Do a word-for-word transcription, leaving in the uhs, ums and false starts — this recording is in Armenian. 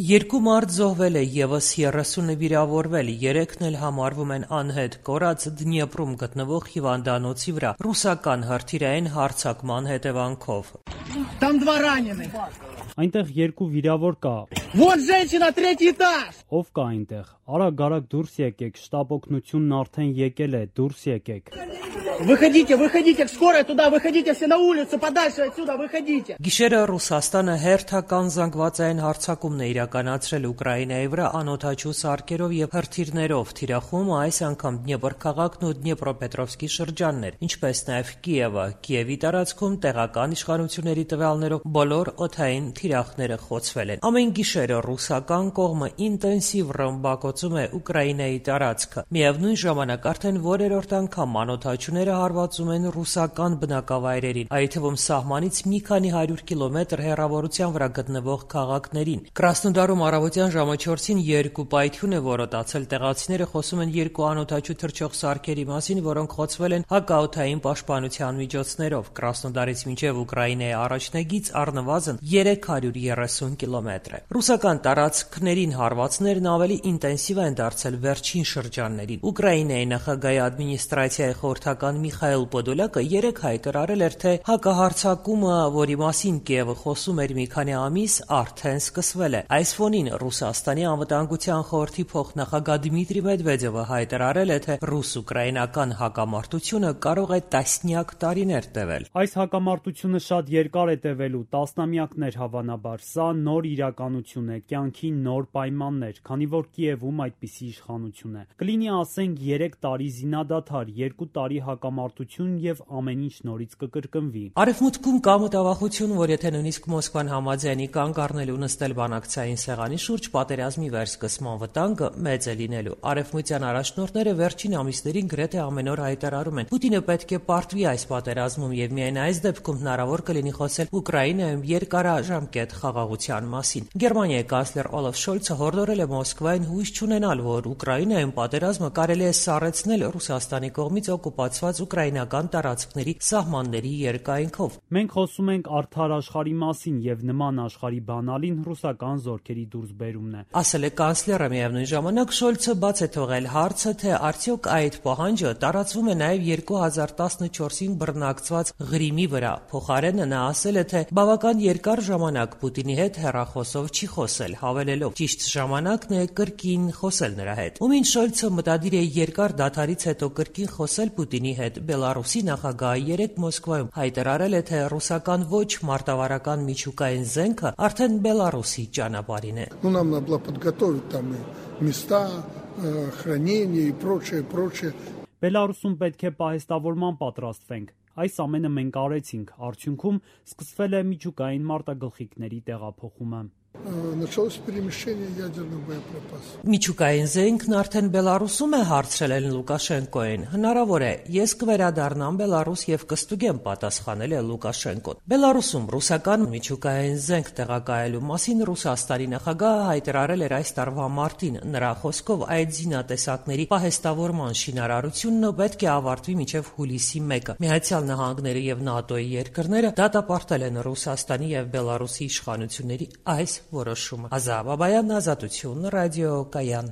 Երկու մարդ զոհվել է, ևս երեսունը վիրավորվել, երեքն էլ համարվում են անհետ կորած Դնեպրում գտնվող հիվանդանոցի վրա ռուսական հրթիռային հարձակման հետևանքով։ Там два раненых. Այնտեղ երկու վիրավոր կա։ Вот женщина, третий этаж. Ով կա այնտեղ։ Արագ-արագ դուրս եկեք, շտաբ օգնությունն արդեն եկել է, դուրս եկեք։ Выходите, выходите, скорая туда, выходите все на улицу, подальше отсюда, выходите. Գիշերը Ռուսաստանը հերթական զանգվածային հարձակումն է իրականացրել Ուկրաինայի վրա անօդաչու սարքերով եւ հրթիռներով, թիրախում այս անգամ Դնեպր քաղաքն ու Դնեպրոպետրովսկի շրջաններ, ինչպես նաեւ Կիևը։ Կիևի տարածքում տեղական իշխանությունների տվյալներով բոլոր օդային թիրախները խոցվել են։ Ամեն գիշեր ռուսական կողմը ինտենսիվ ռմբակոծում է Ուկրաինայի տարածքը։ Միևնույն ժամանակ արդեն որերորդ անգամ անօդաչուները հարվածում են ռուսական բնակավայրերին, այդ թվում սահմանից մի քանի հարյուր կիլոմետր հեռավորության վրա գտնվող քաղաքներին։ Կրասնոդարում առավոտյան ժամը չորսին երկու պայթյուն է որոտացել։ Տեղացիները խոսում են երկու անօդաչու թռչող սարքերի մասին, որոնք խոցվել են հակաօդային պաշտպանության միջոցներով։ Կրասնոդարից մինչև Ուկրաինայի առաջնագիծ առնվազն երեք հարյուր երեսուն կիլոմետր է։ Ռուսական տարածքներին հարվածներն ավելի ինտենսիվ են դարձել վերջին շրջաններին։ Ուկրաինայի նախագահի ադմինիստրացիայի խորհրդական Միխայել Պոդոլյակը երեկ հայտարարել էր, թե հակահարձակումը, որի մասին Կիևը խոսում էր մի քանի ամիս, արդեն սկսվել է։ Այս ֆոնին Ռուսաստանի անվտանգության խորհրդի փոխնախագահ Դմիտրի Մեդվեդևը հայտարարել է, թե ռուս-ուկրաինական հակամարտությունը կարող է տասնյակ տարիներ տևել։ Այս հակամարտությունը շատ երկար է տևելու, տասնամյակներ հավանաբար։ Սա նոր իրականություն է, կյանքի նոր պայմաններ, քանի որ Կիևում այդպիսի իշխանություն է։ Կլինի ասենք երեք տարի զինադադար, երկու տարի հակամարտություն եւ ամեն ինչ նորից կկրկնվի։ Արևմուտքում կա մտավախություն, որ եթե նույնիսկ Մոսկվան համաձայնի կանգ առնել ու նստել բանակցային սեղանի շուրջ, պատերազմի վերսկսման վտանգը մեծ է լինելու։ Արևմտյան առաջնորդները վերջին ամիսներին գրեթե ամեն օր հայտարարում են. Պուտինը պետք է պարտվի այս պատերազմում եւ միայն այս դեպքում հնարավոր կլինի խոսել Ուկրաինայում երկարաժամկետ խաղաղության մասին։ Գերմանիայի կանցլեր Օլաֆ Շոլցը հորդորել է Մոսկվային հույս չունենալ, որ Ուկրաինայում պատերազմը կարելի է սառեցնել Ռուսաստանի կողմից օկուպացված ուկրաինական տարածքների սահմանների երկայնքով։ Մենք խոսում ենք արդար աշխարհի մասին եւ նման աշխարհի բանալին ռուսական զորքերի դուրսբերումն է, ասել է կանցլերը։ Միևնույն ժամանակ Շոլցը բաց է թողել հարցը, թե արդյոք այդ պահանջը տարածվում է նաեւ երկու հազար տասնչորսին բռնակցված Ղրիմի վրա։ Փոխարենը նա ասել է, թե բավական երկար ժամանակ Պուտինի հետ հեռախոսով չի խոսել, հավելելով. ճիշտ ժամանակն է կրկին խոսել նրա հետ։ Ումին Շոլցը մտադիր է երկար դադարից հետո կրկին խոսել Պուտինի հետ։ Բելարուսի նախագահը երեկ Մոսկվայում հայտարարել է, թե ռուսական ոչ մարտավարական միջուկային զենքը արդեն Բելարուսի ճանապարհին է։ Ну нам надо было подготовить там места хранения и прочее, прочее. Բելարուսում պետք է պահեստավորման պատրաստվենք։ Այս ամենը մենք արեցինք, արդյունքում սկսվել է միջուկային մարտագլխիկների տեղափոխումը։ Началось перемещение ядерных боеприпасов. Միջուկային զենքն արդեն Բելարուսում է, հարցրել են Լուկաշենկոին։ Հնարավոր է, ես կվերադառնամ Բելարուս եւ կստուգեմ, պատասխանել է Լուկաշենկոն։ Բելարուսում ռուսական միջուկային զենք տեղակայելու մասին Ռուսաստանի նախագահը հայտարարել էր այս տարվա մարտին։ Նրա խոսքով այդ զինատեսակների պահեստավորման շինարարությունը պետք է ավարտվի մինչև հուլիսի մեկը։ Միացյալ Նահանգները եւ ՆԱՏՕ-ի երկրները դատապարտել են Ռուսաստանի եւ Բելարուսի իշխանությունների այս որոշումը։ Ազա Բաբայան, Ազատություն, ռադիո Կայան։